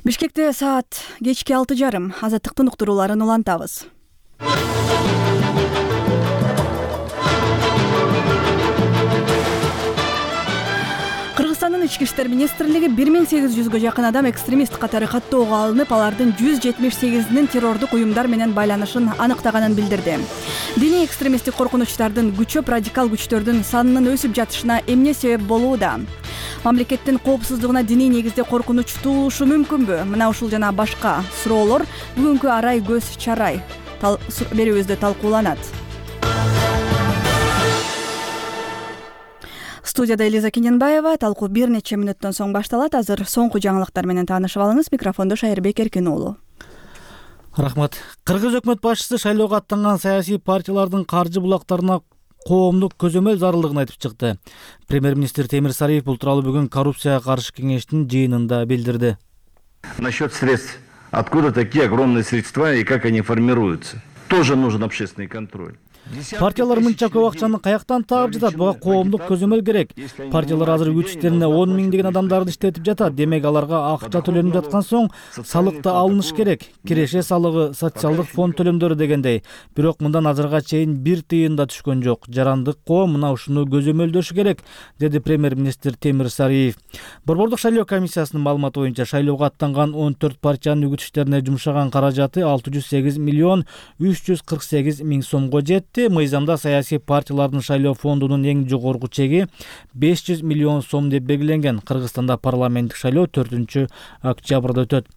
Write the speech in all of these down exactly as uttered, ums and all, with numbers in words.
Бишкекте саат кечки алты жарым. Азаттыктын уктурууларын улантабыз. Кыргызстандын ички иштер министрлиги бир миң сегиз жүзгө жакын адам экстремист катары каттоого алынып, алардын жүз жетимиш сегизинин террордук уюмдар менен байланышын аныктаганын билдирди. Диний экстремисттик коркунучтардын күчөп, радикал күчтөрдүн санынын өсүп жатышына эмне себеп болууда? Мамлекеттин коопсуздугуна диний негизде коркунуч туулушу мүмкүнбү? Мына ушул жана башка суроолор бүгүнкү арай көз чарай берүүбүздө талкууланат. Студияда Элиза Кененбаева. Талкуу бир нече мүнөттөн соң башталат. Азыр соңку жаңылыктар менен таанышып алыңыз. Микрофондо Шайырбек Эркин уулу. Рахмат. Кыргыз өкмөт башчысы шайлоого аттанган саясий партиялардын каржы булактарына коомдук көзөмөл зарылдыгын айтып чыкты. Премьер-министр Темир Сариев бул тууралуу бүгүн коррупцияга каршы кеңештин жыйынында билдирди. Насчет средств. Откуда такие огромные средства и как они формируются? Тоже нужен общественный контроль. Партиялар мынча көп акчаны каяктан таап жатат? Буга коомдук көзөмөл керек. Партиялар азыр күч иштерине он миңдеген адамдарды иштетип жатат. Демек аларга акча төлөнүп жаткан соң салык да алыныш керек. Киреше салыгы, социалдык фонд төлөмдөрү дегендей. Бирок мындан азырга чейин бир тыйын да түшкөн жок. Жарандык коом мына ушуну көзөмөлдөшү керек, деди премьер-министр Темир Сариев. Борбордук шайлоо комиссиясынын маалыматы боюнча шайлоого аттанган он төрт партиянын үгүт иштерине жумшаган каражаты алты жүз сегиз миллион үч жүз кырк сегиз миң сомго жетти. Мыйзамда саясий партиялардын шайлоо фондунун эң жогорку чеги беш жүз миллион сом деп белгиленген. Кыргызстанда парламенттик шайлоо төртүнчү октябрда өтөт.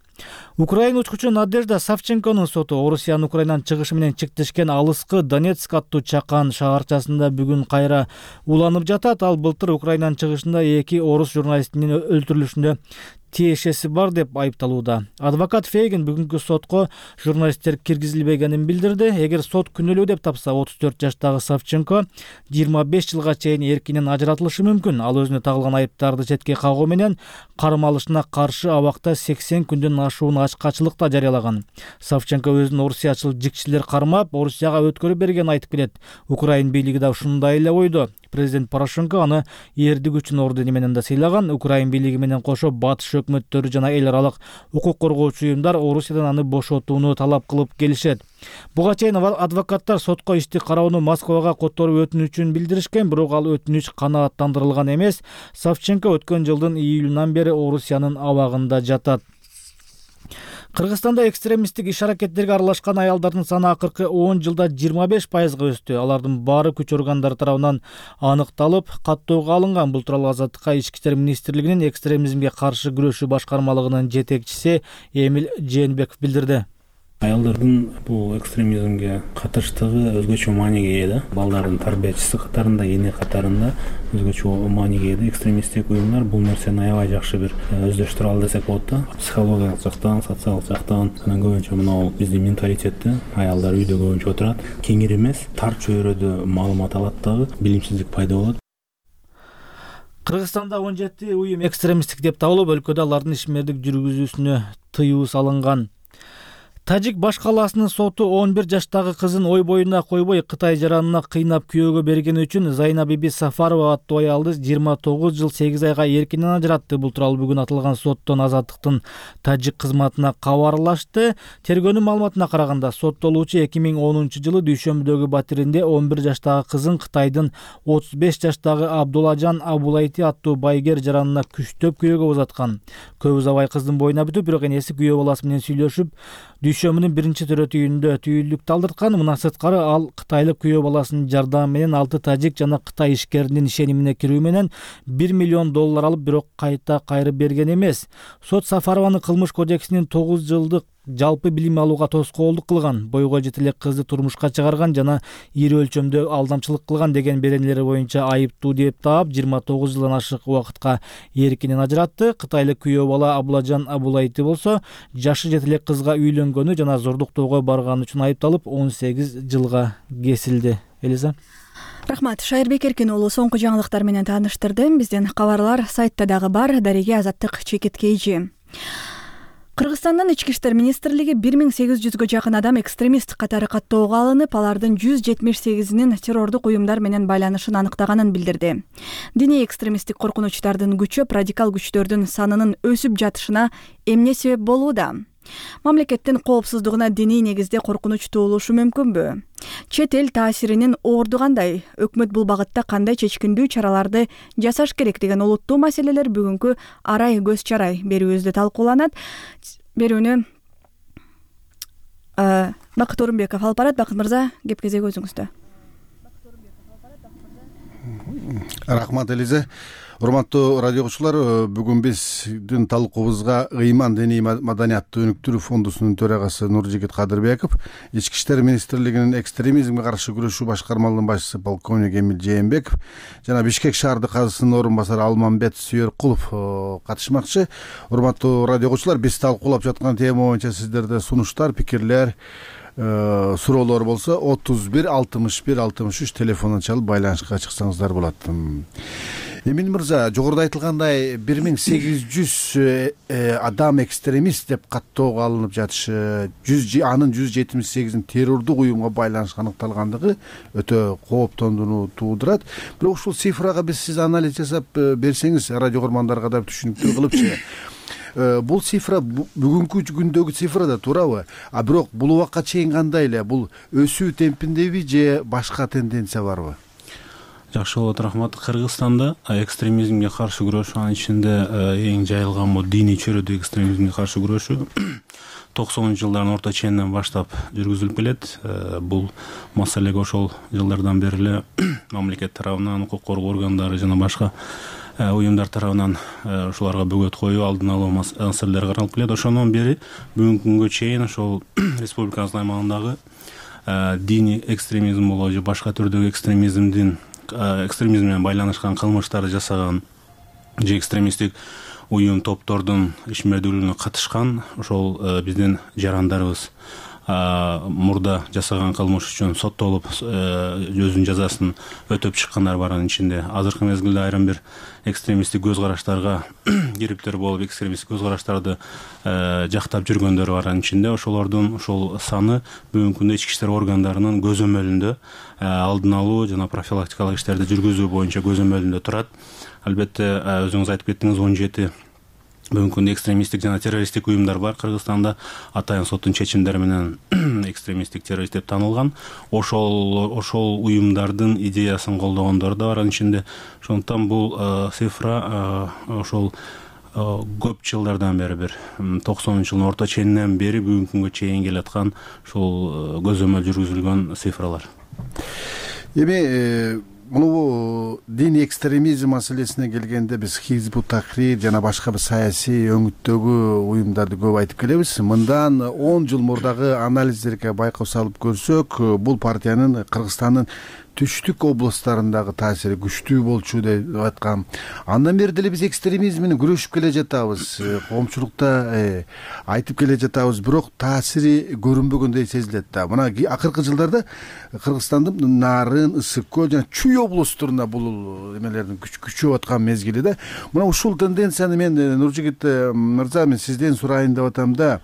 Украина учкучу Надежда Савченконун соту Орусиянын Украинанын чыгышы менен чектешкен алыскы Донецк аттуу чакан шаарчасында бүгүн кайра уланып жатат. Ал былтыр Украинанын чыгышында эки орус журналистинин өлтүрүлүшүндө тиешеси бар деп айыпталууда. Адвокат Фейгин бүгүнкү сотко журналисттер киргизилбегенин билдирди. Эгер сот күнөөлүү деп тапса, отуз төрт жаштагы Савченко жыйырма беш жылга чейин эркинен ажыратылышы мүмкүн. Ал өзүнө тагылган айыптарды четке кагуу менен кармалышына каршы абакта сексен күндөн ашуун ачкачылыкта жарыялаган. Савченко өзүн орусиячыл жикчилер кармап, Орусияга өткөрүп бергенин айтып келет. Украин бийлиги да ушундай эле ойдо. Президент Порошенко аны эрдик үчүн ордени менен да сыйлаган. Украин бийлиги менен кошо батыш өкмөттөрү жана эл аралык укук коргоочу уюмдар Орусиядан аны бошотууну талап кылып келишет. Буга чейин адвокаттар сотко ишти кароону Москвага которуп өтүнүчүн билдиришкен, бирок ал өтүнүч канааттандырылган эмес. Савченко өткөн жылдын июлунан бери Орусиянын абагында жатат. Кыргызстанда экстремисттик иш-аракеттерге аралашкан аялдардын саны акыркы он жылда жыйырма беш пайызга өстү. Алардын баары күч органдары тарабынан аныкталып, каттоого алынган. Бул тууралуу Азаттыкка ички иштер министрлигинин экстремизмге каршы күрөшүү башкармалыгынын жетекчиси Эмил Жээнбеков билдирди. Аялдардын бул экстремизмге катыштыгы өзгөчө мааниге ээ да. Балдардын тарбиячысы катарында, эне катарында өзгөчө мааниге ээ. Экстремисттик уюмдар бул нерсени аябай жакшы бир өздөштүрө алды десек болот да. Психологиялык жактан, социалдык жактан анан көбүнчө мына биздин менталитетте аялдар үйдө көбүнчө отурат. Кеңири эмес, тар чөйрөдө маалымат алат дагы, билимсиздик пайда болот. Кыргызстанда он жети уюм экстремисттик деп табылып, өлкөдө алардын ишмердик жүргүзүүсүнө тыюу салынган. Тажик баш калаасынын соту он бир жаштагы кызын ой боюна койбой Кытай жаранына кыйнап күйөөгө бергени үчүн Зайна Биби Сафарова аттуу аялды жыйырма тогуз жыл сегиз айга эркинен ажыратты. Бул тууралуу бүгүн атылган соттон Азаттыктын тажик кызматына кабарлашты. Тергөөнүн маалыматына караганда, соттолуучу эки миң онунчу жылы дүйшөмбүдөгү батиринде он бир жаштагы кызын Кытайдын отуз беш жаштагы Абдулажан Абулайти аттуу байгер жаранына күчтөп күйөөгө узаткан. Көп узабай кыздын боюна бүтүп, бирок энеси күйөө баласы менен сүйлөшүп, дүйшөмүнүн биринчи төрөтүйүндө түйүлдүк талдырткан. Мына сырткары ал кытайлык күйөө баласынын жардамы менен алты тажик жана Кытай ишкеринин ишенимине кирүү менен бир миллион доллар алып, бирок кайта кайрып берген эмес. Сот Сафарованын кылмыш кодексинин тогуз жылдык жалпы билим алууга тоскоолдук кылган, бойго жете элек кызды турмушка чыгарган жана ири өлчөмдө алдамчылык кылган деген беренелери боюнча айыптуу деп таап, жыйырма тогуз жылдан ашык убакытка эркинен ажыратты. Кытайлык күйөө бала Абулажан Абулайти болсо, жашы жете элек кызга үйлөнгөнү жана зордуктоого барганы үчүн айыпталып, он сегиз жылга кесилди. Элиза. Рахмат. Шайырбек Эркин уулу соңку жаңылыктар менен тааныштырды. Биздин кабарлар сайтта дагы бар. Дареге Азаттык чекит кейжи. Кыргызстандын ички иштер министрлиги бир миң сегиз жүзгө жакын адам экстремист катары каттоого алынып, алардын жүз жетимиш сегизинин террордук уюмдар менен байланышын аныктаганын билдирди. Диний экстремисттик коркунучтардын күчөп, радикал күчтөрдүн санынын өсүп жатышына эмне себеп болууда? Мамлекеттин коопсуздугуна диний негизде коркунуч туулушу мүмкүнбү? Чет эл таасиринин орду кандай? Өкмөт бул багытта кандай чечкиндүү чараларды жасаш керек деген олуттуу маселелер бүгүнкү арай көз чарай берүүбүздө талкууланат. Берүүнү Бакыт Орунбеков алып барат. Бакыт мырза, кеп кезеги өзүңүздө. Рахмат Элизе. Урматтуу радио окуучулар, бүгүн биздин талкуубузга ыйман диний маданияттуу өнүктүрүү фондусунун төрагасы Нуржигит Кадырбеков, Ички иштер министрлигинин экстремизмге каршы күрөшүү башкармалыгынын башчысы полковник Эмил Жээнбеков жана Бишкек шаардык казысынын орун басары Алмамбет Сүйөркулов катышмакчы. Урматтуу радио окуучулар, биз талкуулап жаткан тема боюнча сиздерде сунуштар, пикирлер, суроолор болсо отуз бир алтымыш бир алтымыш үч телефонун чалып байланышка чыксаңыздар болот. Эмин мырза, жогоруда айтылгандай бир миң сегиз жүз адам экстремист деп каттоого алынып жатышы, анын жүз жетимиш сегизин террордук уюмга байланыш аныкталгандыгы өтө кооптондууну туудурат. Бирок ушул цифрага биз сиз анализ жасап берсеңиз, радио көрөрмандарга да түшүнүктүү кылыпчы. Бул цифра бүгүнкү күндөгү цифра да туурабы? А бирок бул убакка чейин кандай эле? Бул өсүү темпиндеби же башка тенденция барбы? Жакшы болот, рахмат. Кыргызстанда экстремизмге каршы күрөшүү, анын ичинде эң жайылган бул диний чөйрөдөгү экстремизмге каршы күрөшүү токсонунчу жылдардын орто ченинен баштап жүргүзүлүп келет. Бул маселеге ошол жылдардан бери эле мамлекет тарабынан, укук коргоо органдары жана башка уюмдар тарабынан ушуларга бөгөт коюу, алдын алуу маселелери каралып келет. Ошондон бери бүгүнкү күнгө чейин ошол республикабыздын аймагындагы диний экстремизм болобу же башка түрдөгү экстремизмдин экстремизм менен байланышкан кылмыштарды жасаган же экстремисттик уюм топтордун ишмердүүлүгүнө катышкан ошол биздин жарандарыбыз мурда жасаган кылмыш үчүн соттолуп өзүнүн жазасын өтөп чыккандар бар. Анын ичинде азыркы мезгилде айрым бир экстремисттик көз караштарга кириптер болуп, экстремисттик көз караштарды жактап жүргөндөр бар. Анын ичинде ошолордун ошол саны бүгүнкү күндө ички иштер органдарынын көзөмөлүндө алдын алуу жана профилактикалык иштерди жүргүзүү боюнча көзөмөлүндө турат. Албетте өзүңүз айтып кеттиңиз, он жети бүгүнкү күндө экстремисттик жана террористтик уюмдар бар Кыргызстанда. Атайын соттун чечимдери менен экстремисттик террорист деп танылган. Ошол ошол уюмдардын идеясын колдогондор да бар анын ичинде. Ошондуктан бул цифра ошол көп жылдардан бери, бир токсонунчу жылдын орто ченинен бери бүгүнкү күнгө чейин келаткан ушул көзөмөл жүргүзүлгөн цифралар. Эми муну диний экстремизм маселесине келгенде биз Хизбут Тахрир жана башка бир саясий өңүттөгү уюмдарды көп айтып келебиз. Мындан он жыл мурдагы анализдерге байкоо салып көрсөк, бул партиянын Кыргызстандын түштүк областтарындагы таасири күчтүү болчу деп айткан. Андан бери деле биз экстремизм менен күрөшүп келе жатабыз, коомчулукта айтып келе жатабыз, бирок таасири көрүнбөгөндөй сезилет да. Мына акыркы жылдарда Кыргызстандын Нарын, Ысык көл жана Чүй областарында бул эмелердин күчөп аткан мезгили да. Мына ушул тенденцияны мен Нуржигит мырза, мен сизден сурайын деп атам да.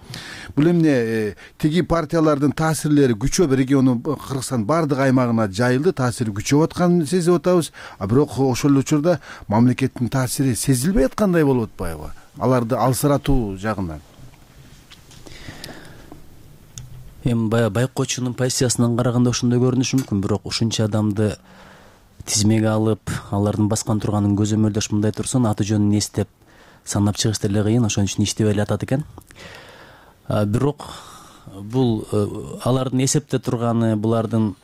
Бул эмне тиги партиялардын таасирлери күчөп региону Кыргызстандын бардык аймагына жайылды, таасири күчөп атканын сезип атабыз. А бирок ошол учурда мамлекеттин таасири сезилбей аткандай болуп атпайбы? Аларды алсыратуу жагынан. Эми баягы байкоочунун позициясынан караганда ошондой көрүнүшү мүмкүн, бирок ушунча адамды тизмеге алып, алардын баскан турганын көзөмөлдөш, мындай турсун аты жөнүн эстеп санап чыгыш деле кыйын, ошон үчүн иштебей эле атат экен. Бирок бул алардын эсепте турганы, булардын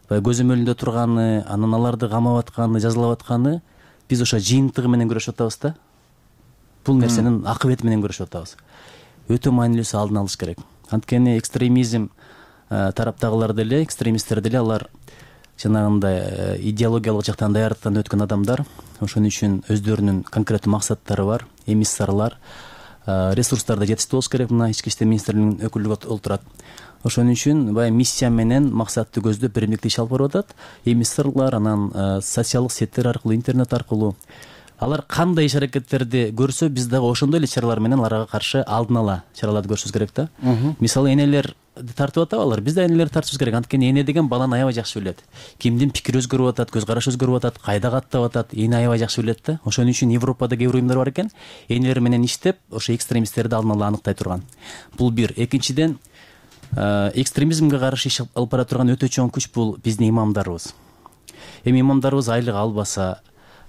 көзөмөлүндө турганы, анан аларды камап атканы, жазалап атканы биз ошо жыйынтыгы менен көрүшүп атабыз да. Бул нерсенин акыбети менен көрүшүп атабыз. Өтө маанилүүсү алдын алыш керек. Анткени экстремизм тараптагылар деле, экстремисттер деле алар жанагындай идеологиялык жактан даярдыктан өткөн адамдар. Ошон үчүн өздөрүнүн конкреттүү максаттары бар, эмиссарлар, ресурстарды жетиштүү болуш керек. Мына ички иштер министрлигинин өкүлүгү олтурат. Ошон үчүн баягы миссия менен максатты көздөп биримдикти иш алып барып атат. Эмиссарлар анан социалдык сеттер аркылуу, интернет аркылуу алар кандай иш аракеттерди көрсө биз дагы ошондой эле чаралар менен аларга каршы алдын ала чараларды көрүшүбүз керек да. Мисалы энелер тартып атабы алар, биз да энелерди тартышыбыз керек. Анткени эне деген баланы аябай жакшы билет. Кимдин пикири өзгөрүп атат, көз карашы өзгөрүп атат, кайда каттап атат, эне аябай жакшы билет да. Ошон үчүн Европада кээ бир уюмдар бар экен, энелер менен иштеп, ошо экстремисттерди алдын ала аныктай турган. Бул бир. Экинчиден, экстремизмге каршы иш алып бара турган өтө чоң күч бул биздин имамдарыбыз. Эми имамдарыбыз айлык албаса,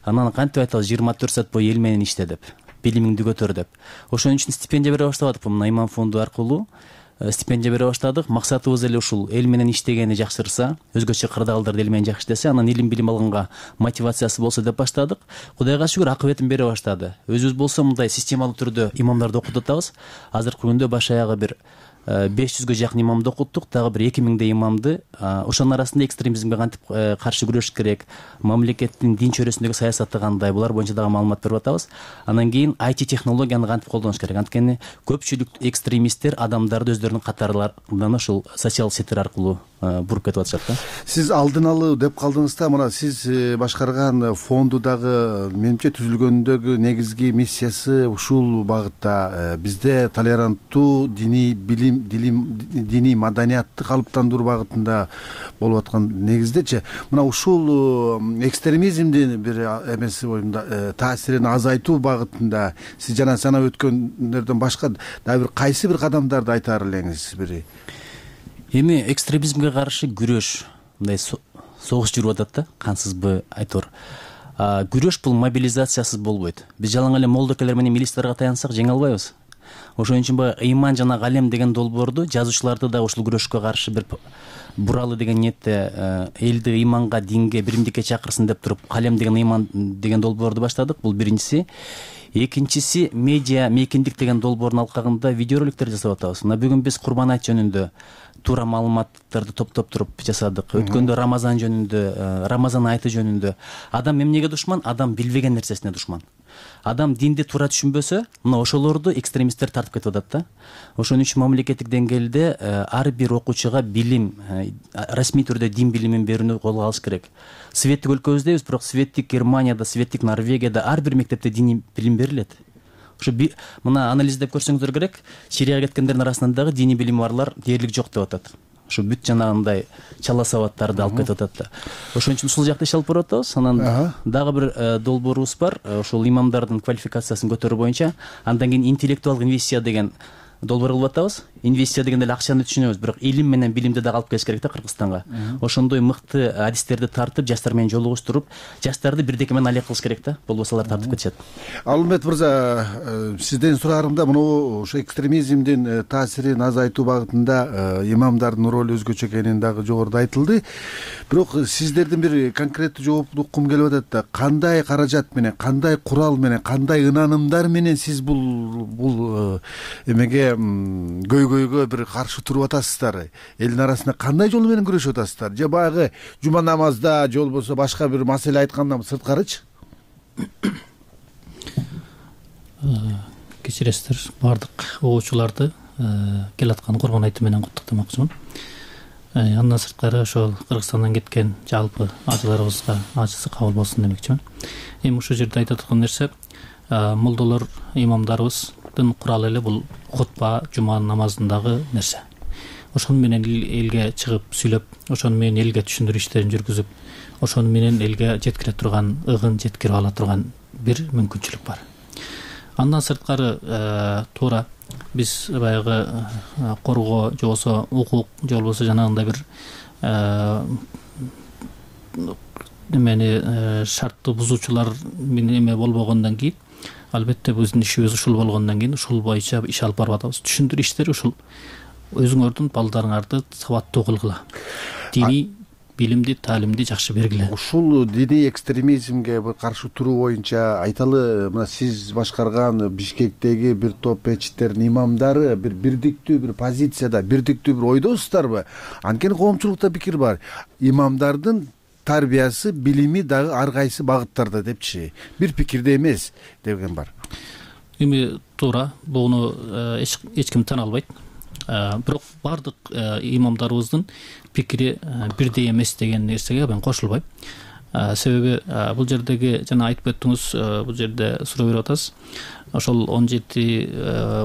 анан кантип айтабыз жыйырма төрт саат бою эл менен иште деп, билимиңди көтөр деп. Ошон үчүн стипендия бере баштадык. Мына имам фонду аркылуу стипендия бере баштадык. Максатыбыз эле ушул: эл менен иштегени жакшырса, өзгөчө кырдаалдарда эл менен жакшы иштесе, анан илим билим алганга мотивациясы болсо деп баштадык. Кудайга шүгүр, акыбетин бере баштады. Өзүбүз болсо мындай системалуу түрдө имамдарды окутуп атабыз. Азыркы күндө баш аягы бир беш жүзгө жакын имамды окуттук, дагы бир эки миңдей имамды. Ошонун арасында экстремизмге кантип каршы күрөш керек, мамлекеттин дин чөйрөсүндөгү саясаты кандай, булар боюнча дагы маалымат берип атабыз. Анан кийин ай ти технологияны кантип колдонуш керек. Анткени көпчүлүк экстремисттер адамдарды өздөрүнүн катарларынан ушул социалдык сеттер аркылуу буруп кетип атышат да. Сиз алдын алуу деп калдыңыз да. Мына сиз башкарган фонду дагы менимче түзүлгөндөгү негизги миссиясы ушул багытта. Бизде толеранттуу диний билим, диний маданиятты калыптандыруу багытында болуп аткан негиздечи. Мына ушул экстремизмдин бир эмеси боюнда таасирин азайтуу багытында сиз жана санап өткөндөрдөн башка дагы бир кайсы бир кадамдарды айтаар элеңиз? Бири эми экстремизмге каршы күрөш, мындай согуш жүрүп атат да, кансызбы айтор. Күрөш бул мобилизациясыз болбойт. Биз жалаң эле молдокелер менен милицияларга таянсак жеңе албайбыз. Ошон үчүн баягы ыйман жана галем деген долбоорду жазуучуларды да ушул күрөшкө каршы бир буралы деген ниетте элди ыйманга, динге, биримдикке чакырсын деп туруп калем деген ыйман деген долбоорду баштадык. Бул биринчиси. Экинчиси, медиа мейкиндик деген долбоордун алкагында видеороликтер жасап атабыз. Мына бүгүн биз Курбан айт жөнүндө туура маалыматтарды топтоп туруп жасадык. Өткөндө Рамазан жөнүндө, Рамазан айты жөнүндө. Адам эмнеге душман? Адам билбеген нерсесине душман. Адам динди туура түшүнбөсө, мына ошолорду экстремисттер тартып кетип атат да. Ошон үчүн мамлекеттик деңгээлде ар бир окуучуга билим, расмий түрдө дин билимин берүүнү колго алыш керек. Светтик өлкөбүздебиз, бирок светтик Германияда, светтик Норвегияда ар бир мектепте диний билим берилет. Ошо мына анализдеп көрсөңүздөр керек, Сирияга кеткендердин арасынан дагы диний билими барлар дээрлик жок деп атат. Ошо бүт жанагындай чала сабаттарды алып кетип атат да. Ошон үчүн ушул жакта иш алып барып атабыз. Анан дагы бир долбоорубуз бар, ошол имамдардын квалификациясын көтөрүү боюнча. Андан кийин интеллектуалдык инвестиция деген долбоор кылып атабыз. Инвестиция дегенде эле акчаны түшүнөбүз, бирок илим менен билимди дагы алып келиш керек да Кыргызстанга. Ошондой мыкты адистерди тартып, жаштар менен жолугуштуруп, жаштарды бирдеке менен алек кылыш керек да. Болбосо алар тартып кетишет. Алымбет мырза, сизден сураарымда мына ошо экстремизмдин таасирин азайтуу багытында имамдардын ролу өзгөчө экени дагы жогоруда айтылды. Бирок сиздердин бир конкреттүү жоопту уккум келип атат да. Кандай каражат менен, кандай курал менен, кандай ынанымдар менен сиз бул бул эмеге көйгөйгө бир каршы туруп атасыздар? Элдин арасында кандай жол менен күрөшүп атасыздар? Же баягы жума намазда, же болбосо башка бир маселе айткандан сырткарычы? Кечиресиздер, баардык угуучуларды келаткан Курбан айты менен куттуктамакчымын. Андан сырткары ошол Кыргызстандан кеткен жалпы ажыларыбызга ажысы кабыл болсун демекчимин. Эми ушул жерде айта турган нерсе, молдолор, имамдарыбыздын куралы эле бул хутба, жума намазындагы нерсе. Ошону менен элге чыгып сүйлөп, ошону менен элге түшүндүрүү иштерин жүргүзүп, ошону менен элге жеткире турган, ыгын жеткирип ала турган бир мүмкүнчүлүк бар. Андан сырткары туура биз баягы коргоо, же болбосо укук, же болбосо жанагындай бир эмени шартты бузуучулар менен эме болбогондон кийин, албетте биздин ишибиз ушул болгондон кийин ушул боюнча иш алып барып атабыз. Түшүндүрүү иштери ушул. Өзүңөрдүн балдарыңарды сабаттуу кылгыла. Диний билимди, таалимди жакшы бергиле. Ушул диний экстремизмге каршы туруу боюнча айталы, мына сиз башкарган Бишкектеги бир топ мечиттердин имамдары бир бирдиктүү бир позицияда, бирдиктүү бир ойдосуздарбы? Анткени коомчулукта пикир бар. Имамдардын тарбиясы, билими дагы ар кайсы багыттарда депчи. Бир пикирде эмес деген бар. Эми туура, буну эч ким тана албайт. Бирок баардык имамдарыбыздын пикири бирдей эмес деген нерсеге мен кошулбайм. себеби бул жердеги жана айтып өттүңүз, бул жерде суроо берип атасыз. Ошол он жети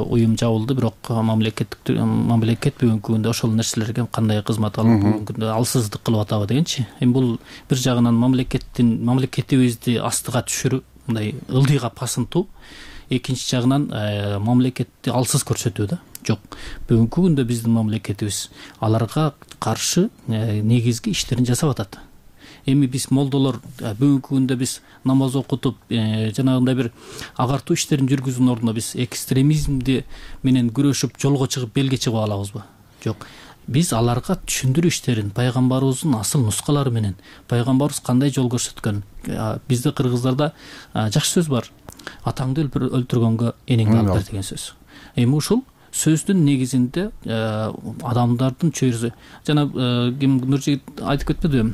уюм жабылды, бирок мамлекеттик мамлекет бүгүнкү күндө ошол нерселерге кандай кызмат алып бүгүнкү күндө алсыздык кылып атабы дегенчи. Эми бул бир жагынан мамлекеттин мамлекетибизди астыга түшүрүү, мындай ылдыйга басынтуу, экинчи жагынан мамлекетти алсыз көрсөтүү да. Жок, бүгүнкү күндө биздин мамлекетибиз аларга каршы негизги иштерин жасап атат. Эми биз молдолор бүгүнкү күндө биз намаз окутуп, жанагындай бир агартуу иштерин жүргүзүүнүн ордуна биз экстремизмди менен күрөшүп, жолго чыгып, белге чыгып алабызбы? Жок. Биз аларга түшүндүрүү иштерин пайгамбарыбыздын асыл нускалары менен, пайгамбарыбыз кандай жол көрсөткөн. Бизде кыргыздарда жакшы сөз бар. Атаңды өлтүргөнгө энеңди алып бер деген сөз. Эми ушул сөздүн негизинде адамдардын чөйрөсү, жана ким Нуржигит айтып кетпедиби?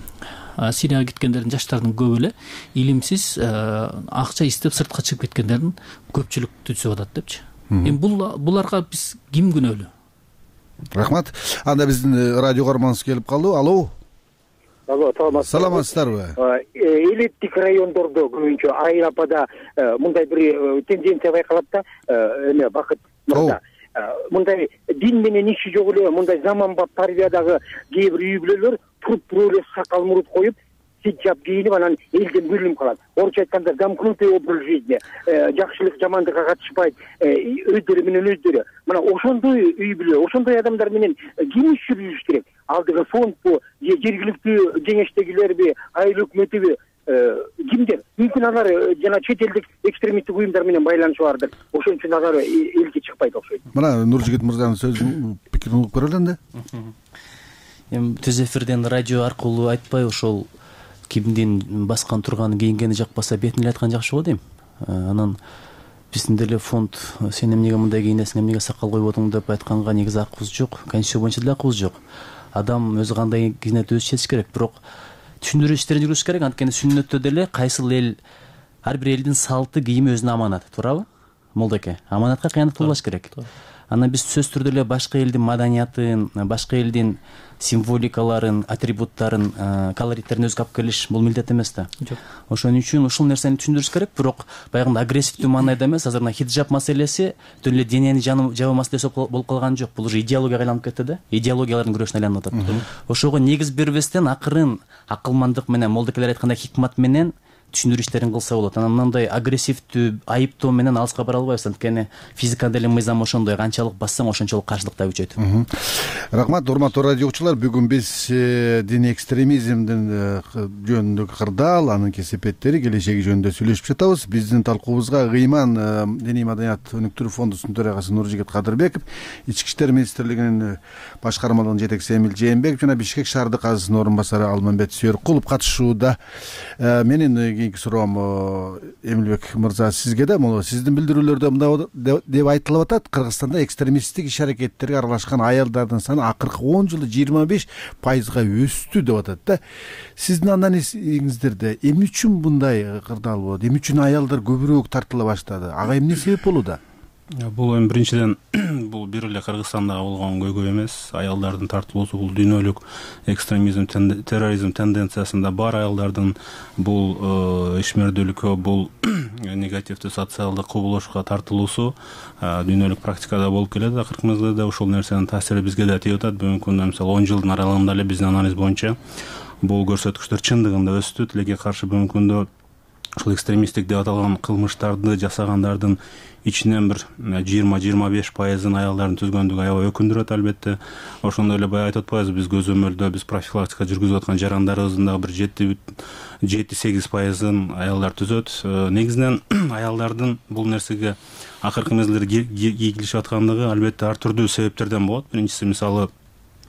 Сирияга кеткендердин жаштардын көбү эле илимсиз акча издеп сыртка чыгып кеткендердин көпчүлүк түзүп атат депчи. Эми бул буларга биз ким күнөөлүү? Рахмат. Анда биздин радио каарманыбыз келип калды. Алло. Алло, саламатсыздарбы? Элиттик райондордо көбүнчө Айыл апада мындай бир тенденция байкалат да, эме Бакыт мырза. Мындай дин менен иши жок эле, мындай заманбап тарбиядагы кээ бир үй бүлөлөр туруп туруп эле сакал мурут коюп, сиджап кийинип, анан элден бөлүнүп калат. Орусча айтканда замкнутый образ жизни, жакшылык жамандыкка катышпайт, өздөрү менен өздөрү. Мына ошондой үй бүлө, ошондой адамдар менен ким иш жүргүзүш керек? Алдыгы фондбу, же жергиликтүү кеңештегилерби, айыл өкмөтүбү, кимдер? Мүмкүн алар жана чет элдик экстремисттик уюмдар менен байланышы бардыр. Ошон үчүн алар элге чыкпайт окшойт. Мына Нуржигит мырзанын сөзүн пикирин угуп көрөлү энди. Эми түз эфирден радио аркылуу айтпай, ошол кимдин баскан турганы, кийингени жакпаса бетин эле айткан жакшы болот дейм. Анан биздин деле фонд сен эмнеге мындай кийинесиң, эмнеге сакал коюп отуң деп айтканга негизи акыбыз жок. Конституция боюнча деле акыбыз жок. Адам өзү кандай кийинет өзү чечиш керек, бирок түшүндүрүү иштерин жүргүзүш керек. Анткени сүннөттө деле кайсыл эл, ар бир элдин салты, кийими өзүнө аманат, туурабы? Молдоке, аманатка кыянат кылбаш керек. Анан биз сөзсүз түрдө эле башка элдин маданиятын, башка элдин символикаларын, атрибуттарын, колориттерин өзгө алып келиш бул милдет эмес да. Жок. Ошон үчүн ушул нерсени түшүндүрүш керек, бирок баягындай агрессивдүү маанайда эмес. Азыр мына хиджаб маселеси түн эле денени жабуу маселеси болуп калган жок. Бул уже идеологияга айланып кетти да. Идеологиялардын күрөшүнө айланып атат. Ошого негиз бербестен акырын акылмандык менен, молдокелер айткандай хикмат менен түшүндүрүү иштерин кылса болот. Анан мындай агрессивдүү айыптоо менен алыска бара албайбыз. Анткени физика деле мыйзам ошондой, канчалык бассаң ошончолук каршылык да күчөйт. Рахмат, урматтуу радио окуучулар. Бүгүн биз диний экстремизмдин жөнүндөгү кырдаал, анын кесепеттери, келечеги жөнүндө сүйлөшүп жатабыз. Биздин талкуубузга Ыйман диний маданият өнүктүрүү фондунун төрагасы Нуржигит Кадырбеков, Ички иштер министрлигинин башкармалыгынын жетекчиси Эмил Жээнбеков жана Бишкек шаардык азысынын орун басары Алмамбет Сүйөркулов катышууда. Менин кийинки суроом Эмилбек мырза сизге да, могу сиздин билдирүүлөрдө мындай деп айтылып атат: Кыргызстанда экстремисттик иш аракеттерге аралашкан аялдардын саны акыркы он жылда жыйырма беш пайызга өстү деп атат да. Сиздин анализиңиздерде эмне үчүн мындай кырдаал болот? Эмне үчүн аялдар көбүрөөк тартыла баштады? Ага эмне себеп болууда? Бул эми биринчиден бул бир эле Кыргызстанда болгон көйгөй эмес. Аялдардын тартылуусу бул дүйнөлүк экстремизм, терроризм тенденциясында бар. Аялдардын бул ишмердүүлүккө, бул негативдүү социалдык кубулушка тартылуусу дүйнөлүк практикада болуп келет. Акыркы мезгилде ушул нерсенин таасири бизге да тийип атат. Бүгүнкү күндө мисалы он жылдын аралыгында эле биздин анализ боюнча бул көрсөткүчтөр чындыгында өстү. Тилекке каршы бүгүнкү күндө ушул экстремисттик деп аталган кылмыштарды жасагандардын ичинен бир жыйырма жыйырма беш пайызын аялдардын түзгөндүгү аябай өкүндүрөт албетте. Ошондой эле баягы айтып атпайбызбы, биз көзөмөлдө биз профилактика жүргүзүп аткан жарандарыбыздын дагы бир жети сегиз пайызын аялдар түзөт. Негизинен аялдардын бул нерсеге акыркы мезгилде ийгилишип аткандыгы албетте ар түрдүү себептерден болот. Биринчиси мисалы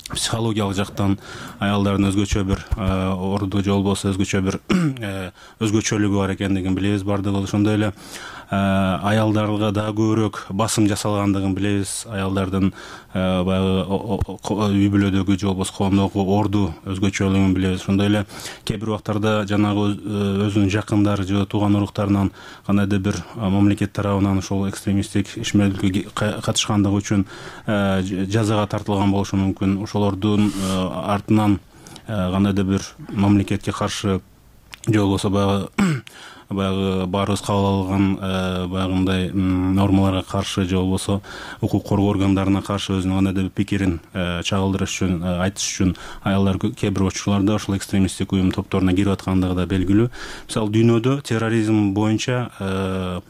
психологиялык жактан аялдардын өзгөчө бир орду же болбосо өзгөчө бир өзгөчөлүгү бар экендигин билебиз бардыгыбыз. Ошондой эле аялдарга дагы көбүрөөк басым жасалгандыгын билебиз. Аялдардын баягы үй бүлөдөгү же болбосо коомдогу орду өзгөчөлүгүн билебиз. Ошондой эле кээ бир убактарда жанагы өзүнүн жакындары же тууган уруктарынан кандайдыр бир мамлекет тарабынан ошол экстремисттик ишмердүүлүккө катышкандыгы үчүн жазага тартылган болушу мүмкүн. Ошолордун артынан кандайдыр бир мамлекетке каршы же болбосо баягы баягы баарыбыз кабыл алган баягындай нормаларга каршы же болбосо укук коргоо органдарына каршы өзүнүн кандайдыр бир пикирин чагылдырыш үчүн айтыш үчүн аялдар кээ бир учурларда ушул экстремисттик уюм топторуна кирип аткандыгы да белгилүү. Мисалы дүйнөдө терроризм боюнча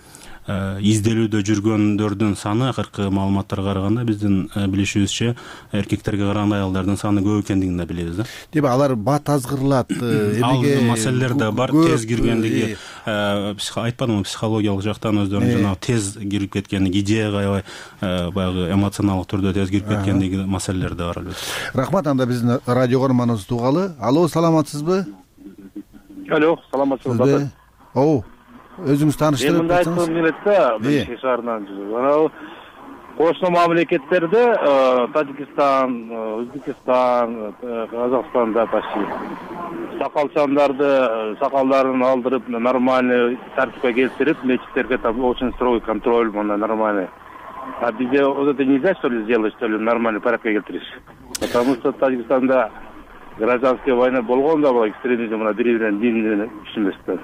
изделүүдө жүргөндөрдүн саны акыркы маалыматтарга караганда биздин билишибизче эркектерге караганда аялдардын саны көп экендигин да билебиз да. Демек алар бат азгырылат, эмеге маселелер да бар, тез киргендиги, айтпадымбы, психологиялык жактан өздөрүнүн жанагы тез кирип кеткендиги, идеяга аябай баягы эмоционалдык түрдө тез кирип кеткендиги маселелер да бар албетте. Рахмат. Анда биздин радио көрөрманыбыз тугалы. Алло, саламатсызбы? Алло, саламатсызбы? Оо, өзүңүз тааныштырып мындай айткым келет да, Бишкек шаарынан. Анау кошуна мамлекеттерде Тажикстан, Өзбекстан, Казакстанда почти сакалчандарды, сакалдарын алдырып, нормальный тартипке келтирип, мечиттерге там очень строгий контроль, мына нормальный. А bizde вот это нельзя, что ли, сделать, что ли, нормальный порядка келтириш? Потому что Тажикстанда гражданская война болгондо бул экстремизм мына бири-бирин дин түшүнбөстөр.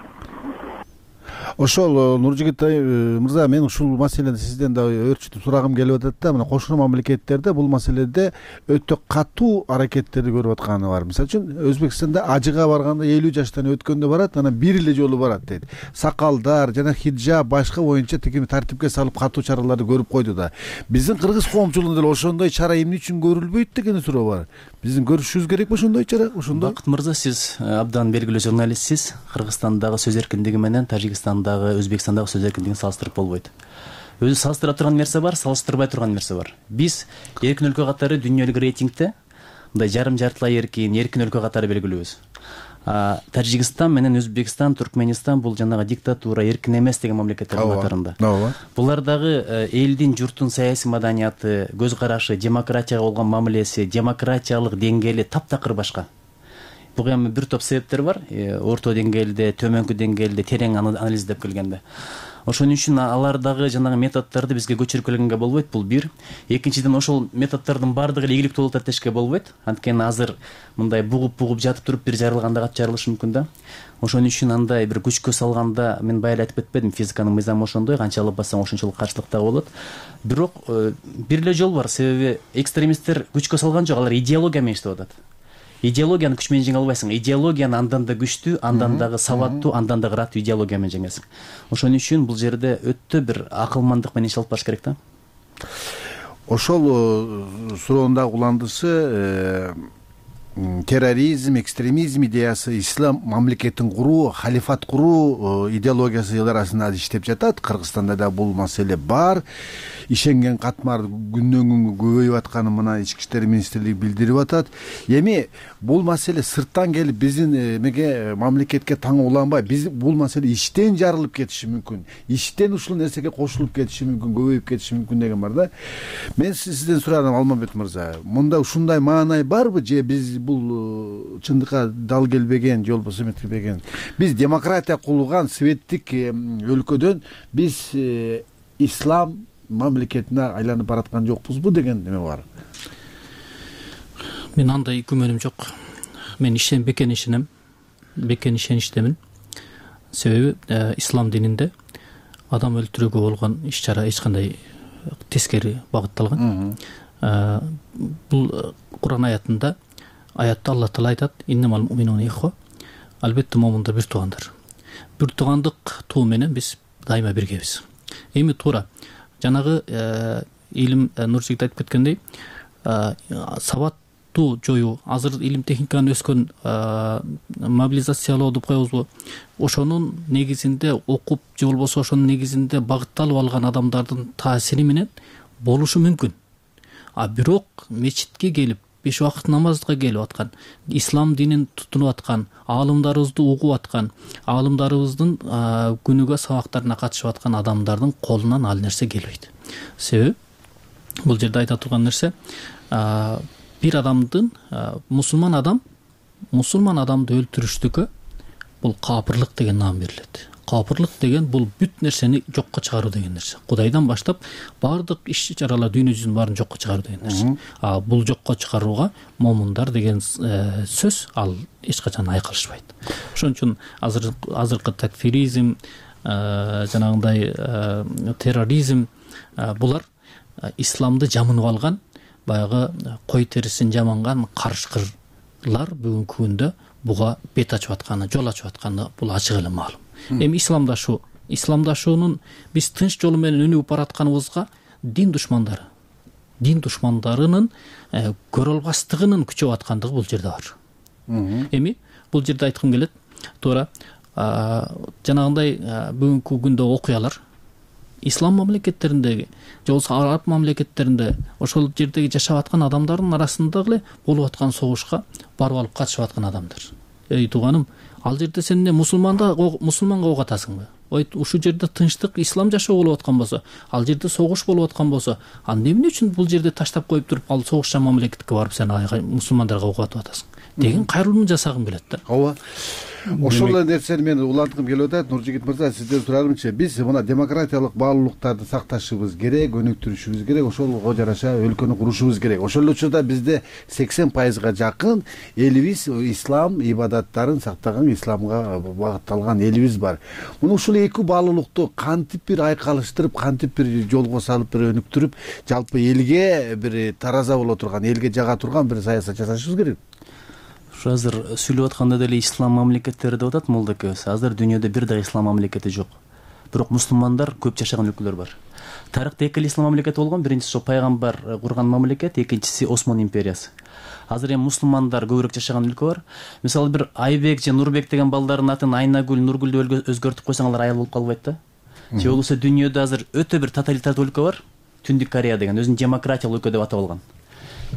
Ошол Нуржигит мырза, мен ушул маселени сизден да өрчүтүп сурагым келип атат да. Мына кошуна мамлекеттерде бул маселеде өтө катуу аракеттерди көрүп атканы бар. Мисалы үчүн Өзбекстанда ажыга барганда элүү жаштан өткөндө барат, анан бир эле жолу барат дейт. Сакалдар жана хиджаб башка боюнча тигини тартипке салып катуу чараларды көрүп койду да. Биздин кыргыз коомчулугунда деле ошондой чара эмне үчүн көрүлбөйт деген суроо бар. Биздин көрүшүбүз керекпи ошондой чара? Ошондой. Бакыт мырза, сиз абдан белгилүү журналистсиз. Кыргызстандагы сөз эркиндиги менен Тажикстандагы, Өзбекстандагы сөз эркиндигин салыштырып болбойт. Өзү салыштыра турган нерсе бар, салыштырбай турган нерсе бар. Биз эркин өлкө катары дүйнөлүк рейтингде мындай жарым жартылай эркин, эркин өлкө катары белгилүүбүз. Тажикстан менен Өзбекстан, Туркменистан бул жанагы диктатура, эркин эмес деген мамлекеттердин катарында. Булардагы элдин, журттун саясий маданияты, көз карашы, демократияга болгон мамилеси, демократиялык деңгээли таптакыр башка. Буга эми бир топ себептер бар. Орто деңгээлде, төмөнкү деңгээлде терең анализдеп келгенде. Ошон үчүн алардагы жанагы методдорду бизге көчүрүп келгенге болбойт. Бул бир. Экинчиден, ошол методдордун баардыгы эле ийгиликтүү болот деп дешке болбойт. Анткени азыр мындай бугуп-бугуп жатып туруп бир жарылганда катып жарылышы мүмкүн да. Ошон үчүн андай бир күчкө салганда, мен баягы айтып кетпедим, физиканын мыйзамы ошондой, канча алып бассаң ошончолук каршылык да болот. Бирок бир эле жол бар, себеби экстремисттер күчкө салган жок, алар идеология менен иштеп атат. Идеологияны күч менен жеңе албайсың. Идеологияны андан да күчтүү, андан дагы сабаттуу, андан да ыраттуу идеология менен жеңесиң. Ошон үчүн бул жерде өтө бир акылмандык менен иш алып барыш керек да. Ошол суроондагы уландышы терроризм, экстремизм идеясы, ислам мамлекетин куруу, халифат куруу идеологиясы арасында иштеп жатат. Кыргызстанда да бул маселе бар. Ишенген катмар күндөн күнгө көбөйүп атканын мына ички иштер министрлиги билдирип атат. Эми бул маселе сырттан келип биздин эмеге мамлекетке таң уланбай, биз бул маселе иштен жарылып кетиши мүмкүн. Иштен ушул нерсеге кошулуп кетиши мүмкүн, көбөйүп кетиши мүмкүн деген бар да. Мен сизден сурадым, Алмамбет мырза. Мында ушундай маанай барбы, же биз бул чындыкка дал келбеген, жол болсо эметпеген? Биз демократия кулган светтик өлкөдөн биз ислам мамлекетине айланып бараткан жокпузбу деген неме бар. Мен андай күмөнүм жок. Мен ишен бекен ишенем. Бекен ишеништемин. Себеби ислам дининде адам өлтүрүүгө болгон иш-чара эч кандай тескери багытталган. Бул Куран аятында аятта Алла Таала айтат: "Иннамал муминуна ихва". Албетте момундар бир туугандар. Бир туугандык туу менен биз дайыма биргебиз. Эми туура жанагы илим Нуржигит айтып кеткендей, сабаттуу жоюу, азыр илим техниканын өскөн мобилизациялоо деп коебузбу, ошонун негизинде окуп же болбосо ошонун негизинде багытталып алган адамдардын таасири менен болушу мүмкүн. А бирок мечитке келип беш убакыт намазга келип аткан, ислам динин тутунуп аткан, аалымдарыбызды угуп аткан, аалымдарыбыздын күнүгө сабактарына катышып аткан адамдардын колунан ал нерсе келбейт. Себеби бул жерде айта турган нерсе, бир адамдын, мусулман адам, мусулман адамды өлтүрүштүккө бул капырлык деген наам берилет. капырлык деген бул бүт нерсени жокко чыгаруу деген нерсе. Кудайдан баштап баардык иш чаралар дүйнө жүзүнүн баарын жокко чыгаруу деген нерсе. А бул жокко чыгарууга момундар деген сөз ал эч качан айкалышпайт. Ошон үчүн азыр азыркы такфиризм, жанагындай терроризм булар исламды жамынып алган, баягы кой терисин жаманган карышкырлар бүгүнкү күндө буга бет ачып атканы, жол ачып атканы бул ачык эле маалым. Эми исламдашуу, исламдашуунун биз тынч жолу менен өнүгүп баратканыбызга дин душмандары, дин душмандарынын көрө албастыгынын күчөп аткандыгы бул жерде бар. Эми бул жерде айткым келет, туура жанагындай бүгүнкү күндө окуялар ислам мамлекеттериндеги же болбосо араб мамлекеттеринде ошол жердеги жашап аткан адамдардын арасында эле болуп аткан согушка барып алып катышып аткан адамдар. Эй тууганым, ал жерде сен эмне мусулманда мусулманга ок атасыңбы? Ой, ушул жерде тынчтык, ислам жашоо болуп аткан болсо, ал жерде согуш болуп аткан болсо, анда эмне үчүн бул жерде таштап коюп туруп, ал согушчан мамлекетке барып сен мусулмандарга ок атып атасың деген кайрылууну жасагым келет да. Ооба. Ошол эле нерсени мен уланткым келип атат. Нуржигит мырза, сизден сурарымчы, биз мына демократиялык баалуулуктарды сакташыбыз керек, өнүктүрүшүбүз керек, ошого жараша өлкөнү курушубуз керек. Ошол эле учурда бизде сексен пайызга жакын элибиз ислам ибадаттарын сактаган, исламга багытталган элибиз бар. Муну ушул эки баалуулукту кантип бир айкалыштырып, кантип бир жолго салып, бир өнүктүрүп, жалпы элге бир тараза боло турган, элге жага турган бир саясат жасашыбыз керек. Азыр сүйлөп атканда деле ислам мамлекеттери деп атат молдокебиз. Азыр дүйнөдө бир да ислам мамлекети жок. Бирок мусулмандар көп жашаган өлкөлөр бар. Тарыхта эки эле ислам мамлекети болгон. Биринчиси ошо пайгамбар курган мамлекет, экинчиси Осман империясы. Азыр эми мусулмандар көбүрөөк жашаган өлкө бар. Мисалы бир Айбек же Нурбек деген балдардын атын Айнагүл, Нургүл деп өзгөртүп койсоң, алар аял болуп калбайт да. Же болбосо дүйнөдө азыр өтө бир тоталитардык өлкө бар. Түндүк Корея деген өзүн демократиялык өлкө деп атап алган.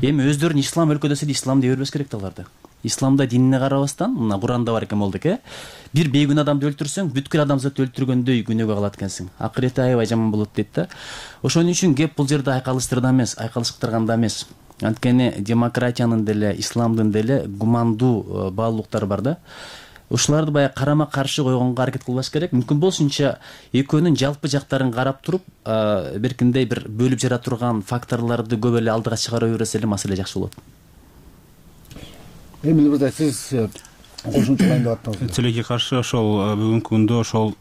Эми өздөрүн ислам өлкө десе ислам дей бербеш керек да аларды. Исламда динине карабастан, мына Куранда бар экен молдок, э? Бир бейгүнө адамды өлтүрсөң, бүткүл адамзатты өлтүргөндөй күнөөгө калат экенсиң. Акырети аябай жаман болот дейт да. Ошон үчүн кеп бул жерде айкалыштырда эмес, айкалыштырганда эмес. Анткени демократиянын деле, исламдын деле гумандуу баалуулуктары бар да. Ушуларды баягы карама каршы койгонго аракет кылбаш керек. Мүмкүн болсунча экөөнүн жалпы жактарын карап туруп, беркиндей бир бөлүп жара турган факторлорду көп эле алдыга чыгара берсе эле маселе жакшы болот. Эмил мырза, сиз кошумчалайын деп аттыңыз. Тилекке каршы ошол бүгүнкү күндө ошол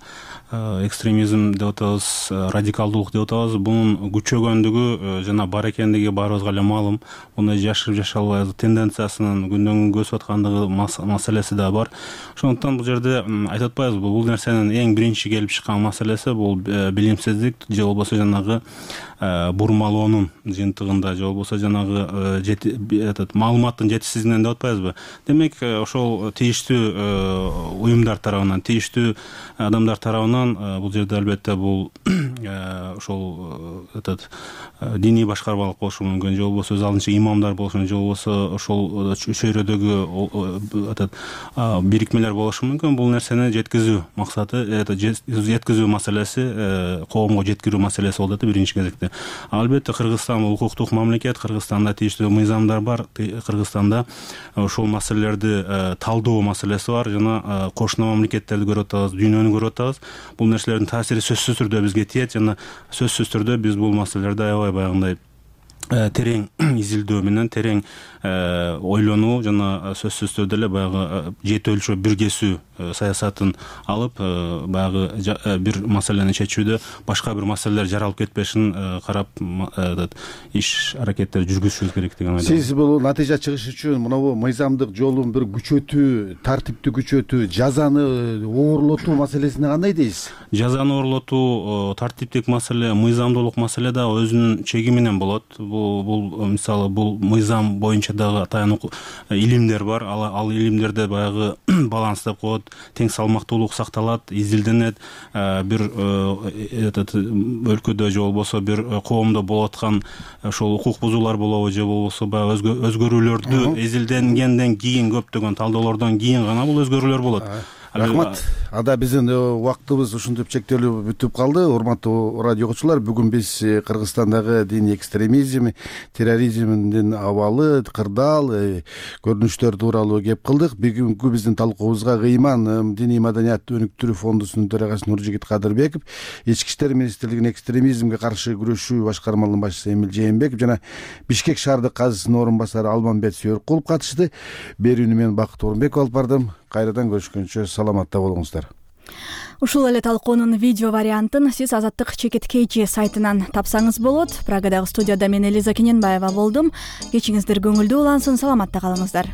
экстремизм деп атабыз, радикалдуулук деп атабыз, бунун күчөгөндүгү жана бар экендиги баарыбызга эле маалым. Мындай жашырып жашай албайбыз, тенденциясынын күндөн күнгө өсүп аткандыгы маселеси да бар. Ошондуктан бул жерде айтып атпайбызбы, бул нерсенин эң биринчи келип чыккан маселеси бул билимсиздик же болбосо жанагы бурмалоонун жыйынтыгында, же болбосо жанагы этот маалыматтын жетишсиздигинен деп атпайбызбы. Демек, ошол тийиштүү уюмдар тарабынан, тийиштүү адамдар тарабынан бул жерде албетте бул ошол этот диний башкармалык болушу мүмкүн, же болбосо өз алдынча имамдар болушу мүмкүн, же болбосо ошол чөйрөдөгү этот бирикмелер болушу мүмкүн. Бул нерсени жеткизүү максаты, жеткизүү маселеси, коомго жеткирүү маселеси болот да биринчи кезекте. Албетте Кыргызстан укуктук мамлекет, Кыргызстанда тийиштүү мыйзамдар бар, Кыргызстанда ошол маселелерди талдоо маселеси бар, жана кошуна мамлекеттерди көрүп атабыз, дүйнөнү көрүп атабыз. Бул нерселердин таасири сөзсүз түрдө бизге тиет, жана сөзсүз түрдө биз бул маселелерди аябай баягындай терең изилдөө менен, терең ойлонуу жана сөзсүз түрдө эле баягы жети өлчөп бир кесүү саясатын алып, баягы бир маселени чечүүдө башка бир маселелер жаралып кетпешин карап иш аракеттер жүргүзүшүбүз керек деген ойдомун. Сиз бул натыйжа чыгыш үчүн мынабу мыйзамдык жолун бир күчөтүү, тартипти күчөтүү, жазаны оорлотуу маселесине кандай дейсиз? Жазаны оорлотуу тартиптик маселе, мыйзамдуулук маселе да өзүнүн чеги менен болот. Бул бул мисалы бул мыйзам боюнча дагы таянуу илимдер бар. Ал, ал илимдерде баягы баланс деп коет, тең салмактуулук сакталат, изилденет. Бир этот өлкөдө же болбосо бир коомдо болуп аткан ошол укук бузуулар болобу, же болбосо баягы өзгөрүүлөрдү изилденгенден кийин, көптөгөн талдоолордон кийин гана бул өзгөрүүлөр болот. рахмат. Ада биздин убактыбыз ушинтип чектелип бүтүп калды. Урматтуу радио окуучулар, бүгүн биз Кыргызстандагы диний экстремизм, терроризмдин абалы, кырдаал көрүнүштөр тууралуу кеп кылдык. Бүгүнкү биздин талкуубузга Ыйман диний маданият өнүктүрүү фондусунун төрагасы Нуржигит Кадырбеков, Ички иштер министрлигинин экстремизмге каршы күрөшүү башкармалыгынын башчысы Эмил Жээнбеков жана Бишкек шаардык казысынын орун басары Алмамбет Сүйөркулов катышты. Берүүнү мен Бакыт Орунбеков алып бардым. Кайрадан көрүшкөнчө саламатта болуңуздар. Ушул эле талкуунун видео вариантын сиз Азаттык Чекиткейчи сайтынан тапсаңыз болот. Прагадагы студияда мен Элиза Кененбаева болдум. Кечиңиздер көңүлдүү улансын, саламатта калыңыздар.